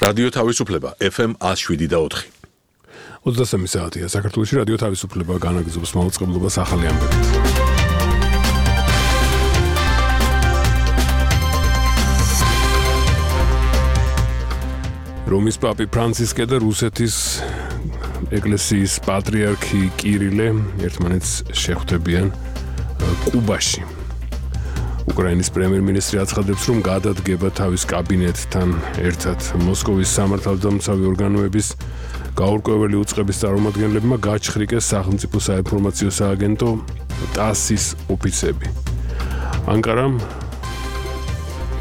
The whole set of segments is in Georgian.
რადიო თავისუფლება FM 107.4. 23 საათია საქართველოში რადიო თავისუფლება განაგრძობს მაუწყებლობას ახალი ამბებით. რომის პაპი ფრანცისკე და რუსეთის ეკლესიის პატრიარქი კირილე ერთმანეთს შეხვდებიან კუბაში. უკრაინის პრემიერ-მინისტრი აცხადებს, რომ გადადგება თავის კაბინეტთან ერთად მოსკოვის სამართალდამცავი ორგანოების გაურკვეველი უწყების წარმომადგენლებმა გაჩხრიკეს სახელმწიფო საინფორმაციო სააგენტო TASS-ის ოფიცები. ანკარამ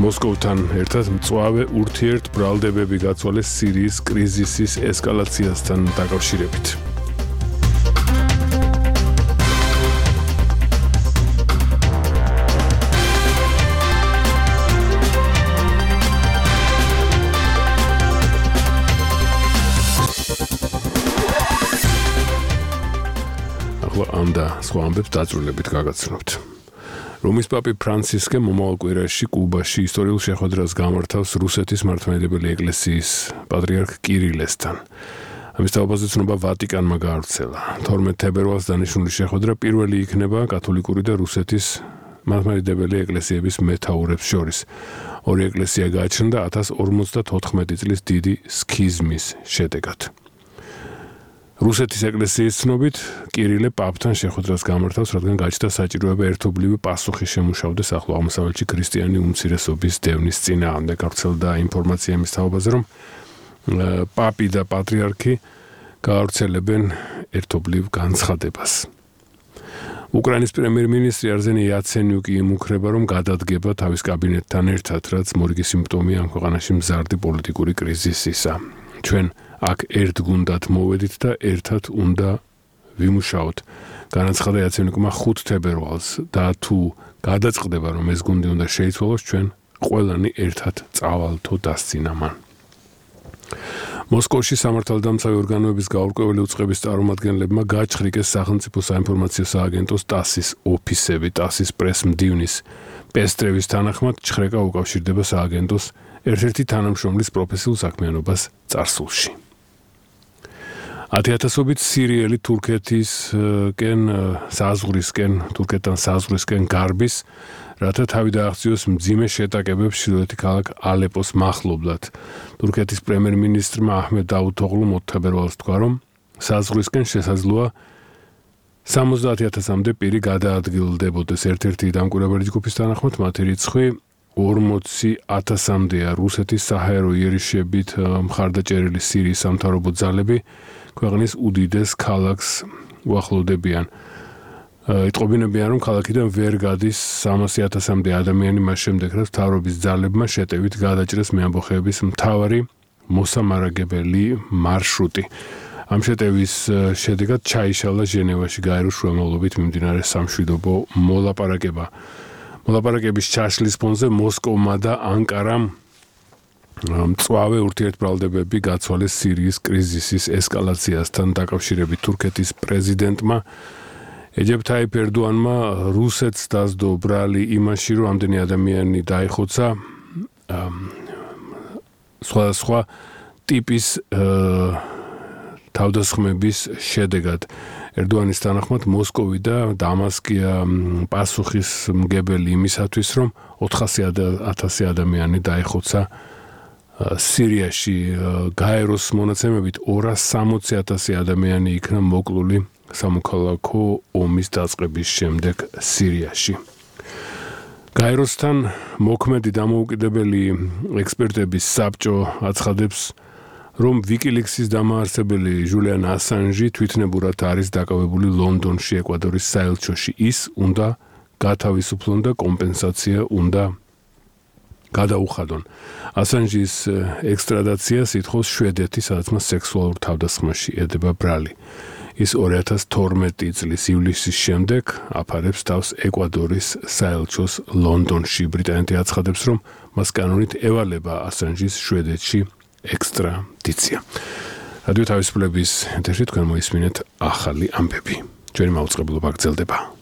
მოსკოვთან ერთად მწვავე ურთიერთბრალდებები გაცვალეს სირიის კრიზისის ესკალაციასთან დაკავშირებით. და სხვა ამბებს დაწვრილებით გაგაცნობთ. რომის პაპი ფრანცისკე მომავალ კვირაში კუბაში ისტორიულ შეხვედრას გამართავს რუსეთის მართლმადიდებელი ეკლესიის პატრიარქ კირილესთან. ამის თავაზე ცნობა ვატიკანმა გაავრცელა. 12 თებერვალს დანიშნული შეხვედრა პირველი იქნება კათოლიკური და რუსეთის მართლმადიდებელი ეკლესიების მეთაურებს შორის. ორი ეკლესია გააჩნდა 1054 წლის დიდი სქიზმის შედეგად. რუსეთის ეკლესიის ცნობით კირილე პაპთან შეხვედრას გამართავს, რადგან გაჩნდა საჭიროება ერთობლივი პასუხი შემუშავდეს ახლო აღმოსავლეთში ქრისტიანი უმცირესობის დევნის წინააღმდეგ. გავრცელდა ინფორმაცია იმის თაობაზე, რომ პაპი და პატრიარქი გაავრცელებენ ერთობლივ განცხადებას. უკრაინის პრემიერ-მინისტრი არზენი იაცენიუკი იმუქრება, რომ გადადგება თავის კაბინეტთან ერთად, რაც მორიგი სიმპტომია ამ ქვეყანაში მზარდი პოლიტიკური კრიზისისა. ჩვენ აქ ერთგუნდად მოვედით და ერთად უნდა ვიმუშაოთ. განაცხადა იაცენიუკმა 5 თებერვალს და თუ გადაწყდება, რომ ეს გუნდი უნდა შეიცვალოს, ჩვენ ყველანი ერთად წავალთო დასცინა მან. მოსკოვში სამართალდამცავი ორგანოების გაურკვეველი უწყების წარმომადგენლებმა გაჩხრიკეს სახელმწიფო საინფორმაციო სააგენტოს TASS-ის ოფისები. TASS-ის პრესმდივნის პესტრევის თანახმად ჩხრეკა უკავშირდება სააგენტოს ერთ-ერთი თანამშრომლის პროფესიულ საქმიანობას წარსულში. 10,000-ობით სირიელი თურქეთთან საზღვრისკენ გარბის, რათა თავი დააღწიოს მძიმე შეტაკებებს ჩრდილოეთი ქალაქ ალეპოს მახლობლად. თურქეთის პრემიერ-მინისტრმა აჰმედ დავუთოღლუმ 4 თებერვალს თქვა, რომ საზღვრისკენ შესაძლოა 70,000-მდე პირი გადაადგილდებოდეს. ერთ-ერთი დამკვირვებელი ჯგუფის თანახმად მათი რიცხვი 40,000-მდეა. რუსეთის საჰაერო იერიშებით მხარდაჭერილი სირიის სამთავრობო ძალები ქვეყნის უდიდეს ქალაქს უახლოვდებიან. იტყობინებიან, რომ ქალაქიდან ვერ გადის 300,000-მდე ადამიანი მას შემდეგ, რაც მთავრობის ძალებმა შეტევით გადაჭრეს მეამბოხეების მთავარი მოსამარაგებელი მარშრუტი. ამ შეტევის შედეგად ჩაიშალა ჟენევაში გაეროს შუამავლობით მიმდინარე სამშვიდობო მოლაპარაკება. მოლაპარაკების ჩაშლის ფონზე მოსკოვმა და ანკარამ მწვავე ურთიერთბრალდებები გაცვალეს სირიის კრიზისის ესკალაციასთან დაკავშირებით. თურქეთის პრეზიდენტმა ეჯებ თაიფ ერდოანმა რუსეთს დასდო ბრალი იმაში, რომ ამდენი ადამიანი დაიხოცა სხვადასხვა ტიპის თავდასხმების შედეგად. ერდოანის თანახმად მოსკოვი და დამასკია პასუხისმგებელი იმისათვის, რომ 400,000 ადამიანი დაიხოცა სირიაში. გაეროს მონაცემებით 260,000 ადამიანი იქნა მოკლული სამოქალაქო ომის დაწყების შემდეგ სირიაში. გაეროსთან მოქმედი დამოუკიდებელი ექსპერტების საბჭო აცხადებს, რომ WikiLeaks-ის დამაარსებელი ჟულიან ასანჟი თვითნებურად არის დაკავებული ლონდონში, ეკვადორის საელჩოში. ის უნდა გათავისუფლონ და კომპენსაცია უნდა გადაუხადონ. ასანჟის ექსტრადაციას ითხოვს შვედეთი, სადაც მას სექსუალურ თავდასხმაში ედება ბრალი. ის 2012 წლის ივლისის შემდეგ აფარებს თავს ეკვადორის საელჩოს ლონდონში. ბრიტანეთი აცხადებს, რომ მას კანონით ევალება ასანჟის შვედეთში ექსტრადიცია. რადიო თავისუფლების ეთერში თქვენ მოისმინეთ ახალი ამბები. ჩვენი მაუწყებლობა გრძელდება.